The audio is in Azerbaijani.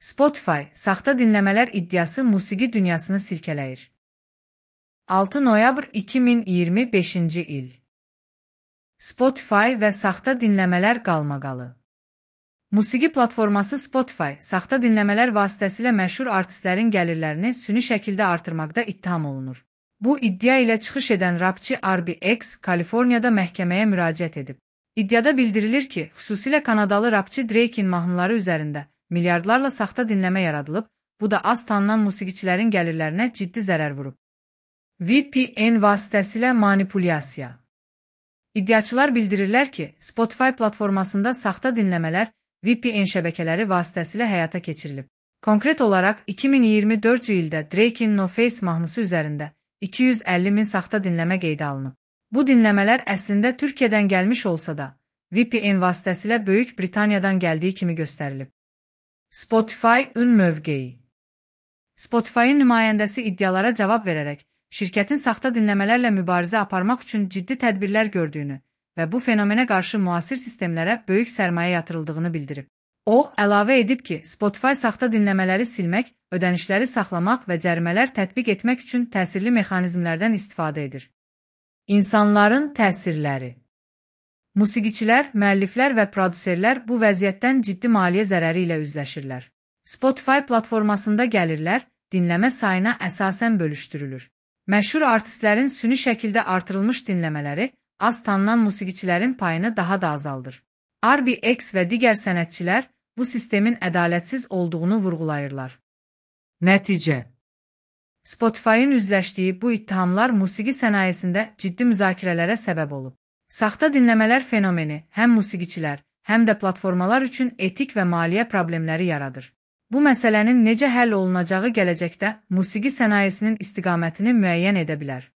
Spotify, saxta dinləmələr iddiası musiqi dünyasını silkələyir. 6 noyabr 2025-ci il. Spotify və saxta dinləmələr qalmaqalı. Musiqi platforması Spotify, saxta dinləmələr vasitəsilə məşhur artistlərin gəlirlərini süni şəkildə artırmaqda ittiham olunur. Bu iddia ilə çıxış edən rapçı RBX, Kaliforniyada məhkəməyə müraciət edib. İddiada bildirilir ki, xüsusilə Kanadalı rapçı Drake'in mahnıları üzərində milyardlarla saxta dinləmə yaradılıb, bu da az tanınan musiqiçilərin gəlirlərinə ciddi zərər vurub. VPN vasitəsilə manipulyasiya. İddiaçılar bildirirlər ki, Spotify platformasında saxta dinləmələr VPN şəbəkələri vasitəsilə həyata keçirilib. Konkret olaraq 2024-cü ildə Drake'in No Face mahnısı üzərində 250 min saxta dinləmə qeydə alınıb. Bu dinləmələr əslində Türkiyədən gəlmiş olsa da, VPN vasitəsilə Böyük Britaniyadan gəldiyi kimi göstərilib. Spotify-ın mövqeyi. Spotify-ın nümayəndəsi iddialara cavab verərək, şirkətin saxta dinləmələrlə mübarizə aparmaq üçün ciddi tədbirlər gördüyünü və bu fenomenə qarşı müasir sistemlərə böyük sərmayə yatırıldığını bildirib. O, əlavə edib ki, Spotify saxta dinləmələri silmək, ödənişləri saxlamaq və cərimələr tətbiq etmək üçün təsirli mexanizmlərdən istifadə edir. İnsanların təsirləri. Musiqiçilər, müəlliflər və prodüserlər bu vəziyyətdən ciddi maliyyə zərəri ilə üzləşirlər. Spotify platformasında gəlirlər, dinləmə sayına əsasən bölüşdürülür. Məşhur artistlərin süni şəkildə artırılmış dinləmələri az tanınan musiqiçilərin payını daha da azaldır. RBX və digər sənətçilər bu sistemin ədalətsiz olduğunu vurğulayırlar. Nəticə. Spotify-ın üzləşdiyi bu ittihamlar musiqi sənayesində ciddi müzakirələrə səbəb olub. Saxta dinləmələr fenomeni həm musiqiçilər, həm də platformalar üçün etik və maliyyə problemləri yaradır. Bu məsələnin necə həll olunacağı gələcəkdə musiqi sənayesinin istiqamətini müəyyən edə bilər.